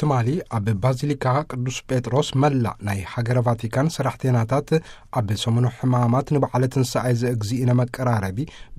ትማሊ ኣብ ባዚሊካ ቅዱስ ጴጥሮስ መላእ ናይ ሃገረ ቫቲካን ሰራሕተኛታት ኣብ ሰሙኑ ሕማማት ንበዓለ ትንሳኤ ዘእግዚእነ መቀራረቢ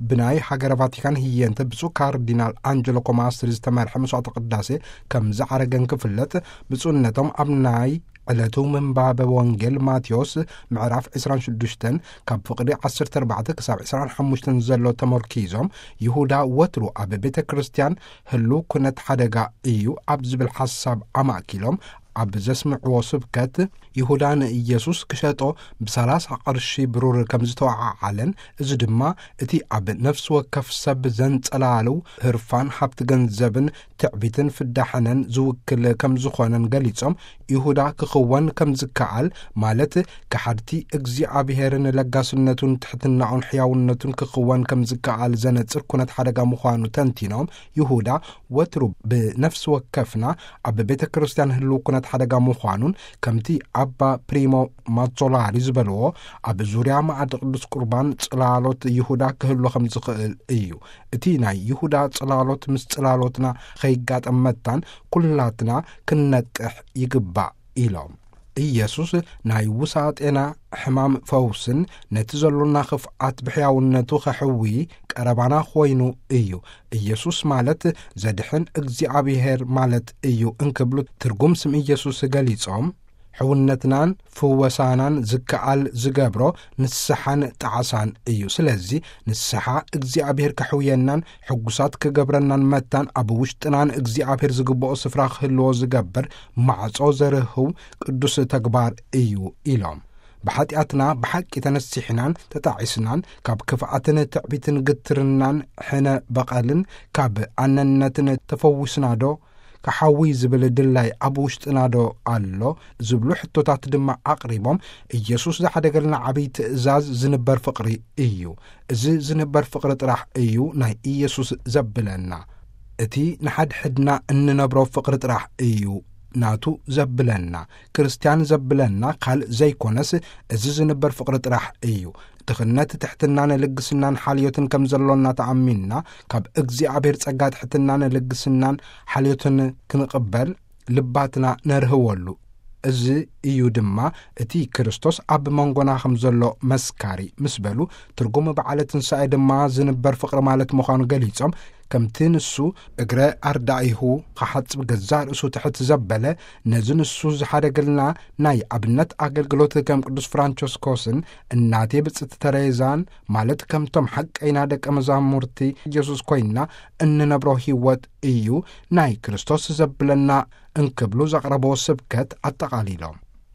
ብናይ ሃገረ ቫቲካን ህየንተ ብፁዕ ካርዲናል ኣንጀሎ ኮማስትሪ ዝተመርሐ መስዋዕተ ቅዳሴ ከም ዝዓረገን ክፍለጥ፣ ብፁዕነቶም ኣብ ናይ ዕለቱ ምንባበ ወንጌል ማቴዎስ ምዕራፍ ዕስራን ሽዱሽተን ካብ ፍቕዲ ዓሰርተ ኣርባዕተ ክሳብ ዕስራን ሓሙሽተን ዘሎ ተመርኪዞም፣ ይሁዳ ወትሩ ኣብ ቤተ ክርስቲያን ህሉ ኩነት ሓደጋ እዩ ኣብ ዝብል ሓሳብ ኣማእኪሎም ኣብ ዘስምዕዎ ስብከት፣ ይሁዳ ንኢየሱስ ክሸጦ ብሰላሳ ቅርሺ ብሩር ከም ዝተወዓዓለን፣ እዚ ድማ እቲ ኣብ ነፍሲ ወከፍ ሰብ ዘንጸላልው ህርፋን ሃብቲ ገንዘብን ትዕቢትን ፍዳሕነን ዝውክል ከም ዝኾነን ገሊጾም፣ ይሁዳ ክኽወን ከም ዝከኣል፣ ማለት ከሓድቲ እግዚኣብሔርን ለጋስነቱን ትሕትናኡን ሕያውነቱን ክኽወን ከም ዝከኣል ዘነጽር ኩነት ሓደጋ ምዃኑ ተንቲኖም፣ ይሁዳ ወትሩ ብነፍሲ ወከፍና ኣብ ቤተ ክርስቲያን ህልው ኩነት ሓደጋ ምዃኑን፣ ከምቲ ኣባ ፕሪሞ ማዞላሪ ዝበልዎ፣ ኣብ ዙርያ መኣዲ ቅዱስ ቁርባን ጽላሎት ይሁዳ ክህሉ ከም ዝኽእል እዩ። እቲ ናይ ይሁዳ ጽላሎት ምስ ጽላሎትና ኸይጋጠም መታን ኩላትና ክንነቅሕ ይግባእ ኢሎም። ኢየሱስ ናይ ውሳጤና ሕማም ፈውስን ነቲ ዘሎና ኽፍኣት ብሕያውነቱ ኸሕዊ ቀረባና ኾይኑ እዩ። ኢየሱስ ማለት ዘድሕን እግዚኣብሔር ማለት እዩ እንክብሉ ትርጉም ስም ኢየሱስ ገሊጾም፣ ሕውነትናን ፍወሳናን ዝከኣል ዝገብሮ ንስሓን ጣዕሳን እዩ። ስለዚ ንስሓ እግዚኣብሔር ከሕውየናን ሕጉሳት ክገብረናን መታን ኣብ ውሽጥናን እግዚኣብሔር ዝግብኦ ስፍራ ክህልዎ ዝገብር ማዕጾ ዘርህው ቅዱስ ተግባር እዩ ኢሎም። ብሓጢኣትና ብሓቂ ተነሲሕናን ተጣዒስናን ካብ ክፍኣትን ትዕቢትን ግትርናን ሕነ በቐልን ካብ ኣነነትን ተፈዊስናዶ? ክሓዊ ዝብል ድላይ ኣብ ውሽጥናዶ ኣሎ? ዝብሉ ሕቶታት ድማ ኣቕሪቦም፣ ኢየሱስ ዝሓደገልና ዓብዪ ትእዛዝ ዝንበር ፍቕሪ እዩ። እዚ ዝንበር ፍቕሪ ጥራሕ እዩ ናይ ኢየሱስ ዘብለና። እቲ ንሓድሕድና እንነብሮ ፍቕሪ ጥራሕ እዩ ናቱ ዘብለና። ክርስትያን ዘብለና ካልእ ዘይኮነስ፣ እዚ ዝንበር ፍቕሪ ጥራሕ እዩ። ድኽነት ትሕትናን ልግስናን ሓልዮትን ከም ዘሎና ተኣሚንና፣ ካብ እግዚኣብሔር ጸጋ ትሕትናን ልግስናን ሓልዮትን ክንቕበል ልባትና ነርህወሉ። እዚ እዩ ድማ እቲ ክርስቶስ ኣብ መንጎና ከም ዘሎ መስካሪ ምስ በሉ፣ ትርጉም በዓለ ትንሳኤ ድማ ዝንበር ፍቕሪ ማለት ምዃኑ ገሊጾም፣ ከምቲ ንሱ እግረ ኣርዳኢሁ ክሓጽብ ገዛእ ርእሱ ትሕት ዘበለ፣ ነዚ ንሱ ዝሓደገልና ናይ ኣብነት ኣገልግሎት ከም ቅዱስ ፍራንቸስኮስን እናቴ ብጽቲ ተሬዛን፣ ማለት ከምቶም ሓቀይና ደቀ መዛሙርቲ ኢየሱስ ኮይንና እንነብሮ ህይወት እዩ ናይ ክርስቶስ ዘብለና እንክብሉ ዘቕረብዎ ስብከት ኣጠቓሊሎም።